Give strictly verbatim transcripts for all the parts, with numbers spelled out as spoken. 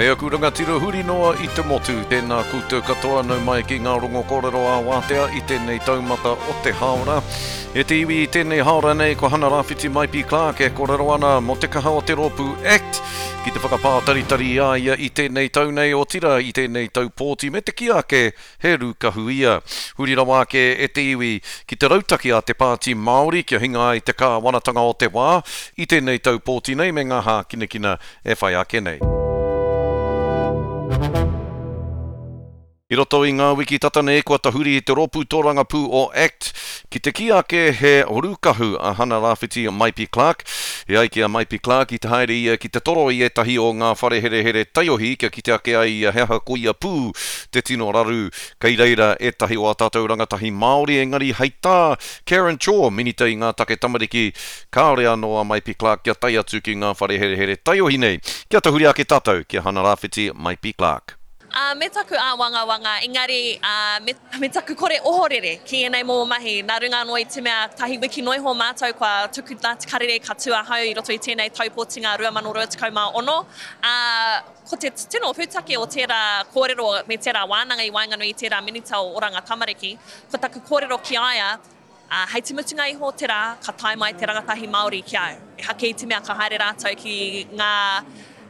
E aku rangatira huri noa i te motu, tēnā koutou katoa nau mai ki ngā rongo kōrero ā-wātea i tēnei taumata o te hāora. E te iwi i tēnei hāora nei, ko Hana Rāwhiti Maipi Clark e kōrero ana mō te kaha o te rōpū ACT ki te whakapātaritari i a ia i tēnei tau nei, otirā i tēnei tau pōti me te kī ake he rūkahu ia. Huri rawa ake e te iwi ki te rautaki a te Pāti Māori kia hinga ai te kāwanatanga o te wā i tēnei tau pōti nei me ngā hākinakina e whai ake nei. I roto i ngā wiki tata nei kua tahuri te rōpū tōrangapū o ACT ki te kī ake he rūkahu a Hana Rāwhiti Maipi Clark. E ai ki a Maipi Clark i te haere ia ki te toro i ētahi o ngā whare herehere taiohi kia kite ake ai ia he aha koia pū te tino raru kei reira ētahi o ā tātou rangatahi Māori engari hei tā Karen Chor, minita i ngā take tamariki, kāore anō a Maipi Clark kia tae atu ki ngā whare herehere taiohi nei. Kia tahuri ake tātou ki a Hana Rāwhiti Maipi Clark. Uh, me taku āwangawanga, engari uh, me, me taku kore ohorere ki ēnei momo mahi. Nā runga anō i te mea tahi wiki noa iho mātou kua tuku nā te karere ka tū ahau i roto i tēnei taupōtinga rua mano rua tekau mā ono. Uh, ko te tino pūtake o tērā kōrero me tērā wānanga i waenganui i tērā minita o Oranga Tamariki, ko taku kōrero ki a ia, Uh, hei te mutunga iho o te rā, ka tae mai te rangatahi Māori ki au. Ehake i te mea ka haere rātou ki ngā,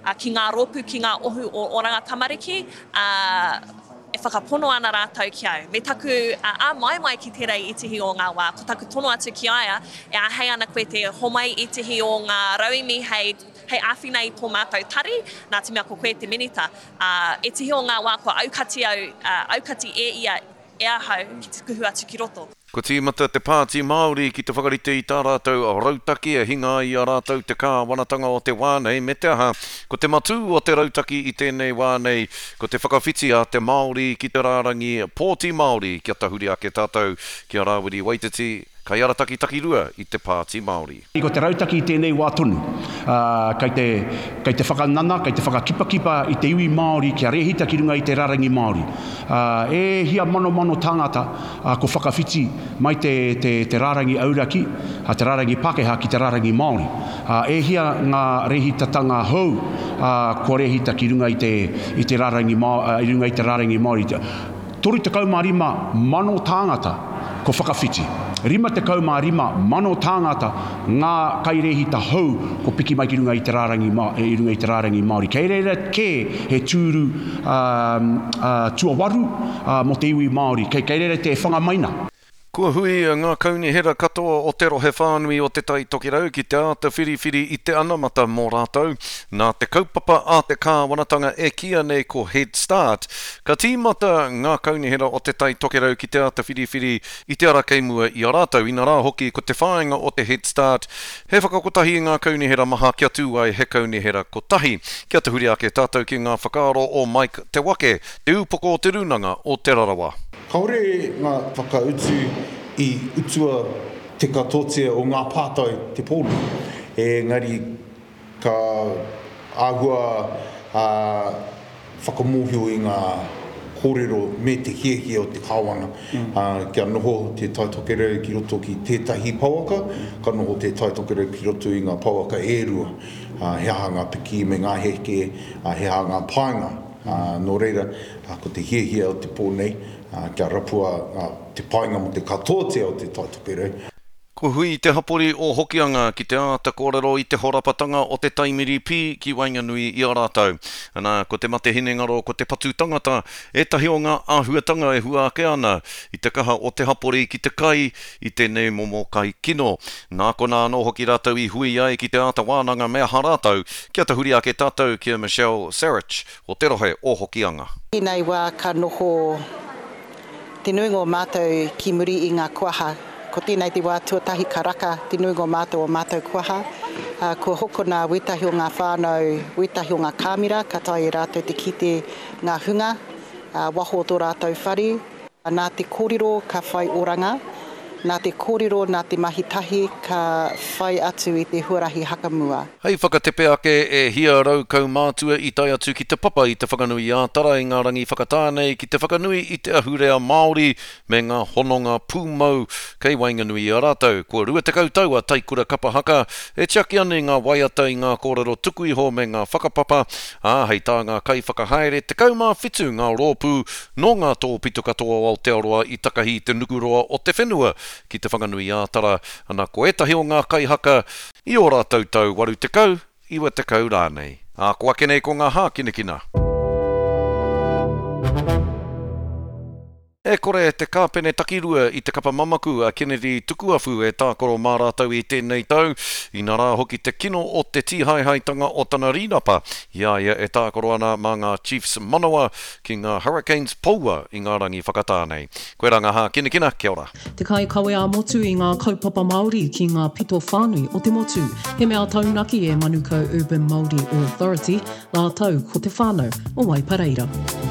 uh, ki ngā rōpū, ki ngā ohu o Oranga Tamariki, uh, e whakapono ana rātou ki au. Me taku uh, āmaimai ki tērā i ētehi o ngā wā, ko taku tono atu ki a ia, e āhei ana koe te homai ētehi o ngā rauemi hei, hei āwhina i tō mātou tari, nā te mea ko koe te minita. Uh, ētehi o ngā wā kua aukati au, uh, aukati e ia e ahau ki te kuhu atu ki roto. Kua tīmata te Pāti Māori ki te whakarite i tā rātou rautaki e hinga ai i a rātou te kāwanatanga o te wā nei, me te aha, ko te matū o te rautaki i tēnei wā nei, ko te whakawhiti a te Māori ki te rārangi pōti Māori kia tahuri ake tātou ki a Rāwiri Waititi, kaiarataki takirua i te Pāti Māori. Ko te rautaki i tēnei wā tonu, uh, kei te, kei te whakanana, kei te whakakipakipa i te iwi Māori kia rehita ki runga i te rarangi Māori. Uh, e hia manomano tāngata uh, ko whakawhiti mai te, te, te rārangi auraki, uh, te rārangi Pākehā ki te rārangi Māori. Uh, e hia ngā rehitatanga hou uh, kua rehita ki runga i te, i te rārangi, uh, i runga i te rārangi Māori. Toru tekau mā rima mano tāngata ko whakawhiti. Rima tekau mā rima mano tāngata ngā kairehita hou ko piki mai ki runga i te rārangi, i runga i te rārangi Māori. Kei reira kē he tūru uh, uh, tuawaru uh, mō te iwi Māori. Kei, kei reira te whangamaina. Kua hui ngā kaunihera katoa o te rohe whānui o Te Tai Tokerau ki te āta whiriwhiri i te anamata mō rātou. Nā te kaupapa a te kāwanatanga e kīia nei ko Head Start, ka tīmata ngā kaunihera o Te Tai Tokerau ki te āta whiriwhiri i te ara kei mua i a rātou. Inarā hoki ko te whāinga o te Head Start, he whakakotahi i ngā kaunihera maha kia tū ai he kaunihera kotahi. Kia tahuri ake tātou ki ngā whakaaro o Mike Te Wake, te upoko o te Rūnanga o Te Rarawa. Kāore ngā whakautu i utua te katotia o ngā pātai te pōni. Engari ka āhua uh, whakamōhio i ngā kōrero me te hiahia o te kāwana. Mm. Uh, kia noho te Tai Tokerau ki roto ki tētahi pouaka, ka noho te Tai Tokerau ki roto i ngā pouaka e rua. Uh, he aha ngā piki me ngā heke, uh, he aha ngā painga. Uh, nō reira, uh, ko te hiahia o te pō nei, uh, kia rapua uh, te painga mō te katoatia o te Tai Tokerau. Kua hui te hapori o Hokianga ki te āta kōrero i te horapatanga o te taimiri pī ki waenganui i a rātou. Ana, ko te mate hinengaro, ko te patu tangata, ētahi o ngā āhuatanga e hua ake ana i te kaha o te hapori ki te kai i tēnei momo kai kino. Nā konā anō hoki rātou i hui ai ki te āta wānanga me aha rātou, kia tahuri ake tātou ki a Michelle Sarich o te rohe o Hokianga. Tēnei wā ka noho te nuinga o mātou ki muri i ngā kuaha. Ko tēnei te wā tuatahi ka raka te nuinga o mātou o mātou kuaha. Uh, kua hokona wētahi o ngā whānau, wētahi o ngā kāmera, ka taea e rātou te kite ngā hunga, uh, waho o tō rātou whare. Nā te kōrero ka whai oranga, Nā te kōrero, nā te mahi tahi ka whai atu i te huarahi hakamua. Hei whakatepe ake e hia rau kaumātua i tae atu ki te papa i Te Whanganui-ā-Tara i ngā rangi whakatā nei ki te whakanui i te ahurea Māori me ngā hononga pūmau kei waenganui i a rātou. Kua rua tekau tau a Taikura Kapa Haka e tiaki ana i ngā waiata i ngā kōrero tuku iho me ngā whakapapa, ā, hei tā ngā kaiwhakahaere, tekau mā whitu ngā rōpū nō ngā tōpito katoa o Aotearoa i takahi i te nukuroa o te whenua ki Te Whanganui-ā-Tara, ana ko ētahi o ngā kaihaka i ō rātou tau waru tekau, iwa tekau rānei. Ā, ko ake nei ko ngā hākinakina. E kore te kāpene takirua i te kapa mamaku a Kennedy Tukuafu e tākaro mā rātou i tēnei tau, inarā hoki te kino o te tīhaehaetanga o tana rīnapa i a ia e tākaro ana mā ngā Chiefs manawa ki ngā Hurricanes poua i ngā rangi whakatā nei. Koirā ngā hākinakina, kia ora. Te kaikawe ā-motu i ngā kaupapa Māori ki ngā pito whānui o te motu. He mea taunaki e Manukau Urban Māori Authority rātou ko te whānau o Waipareira.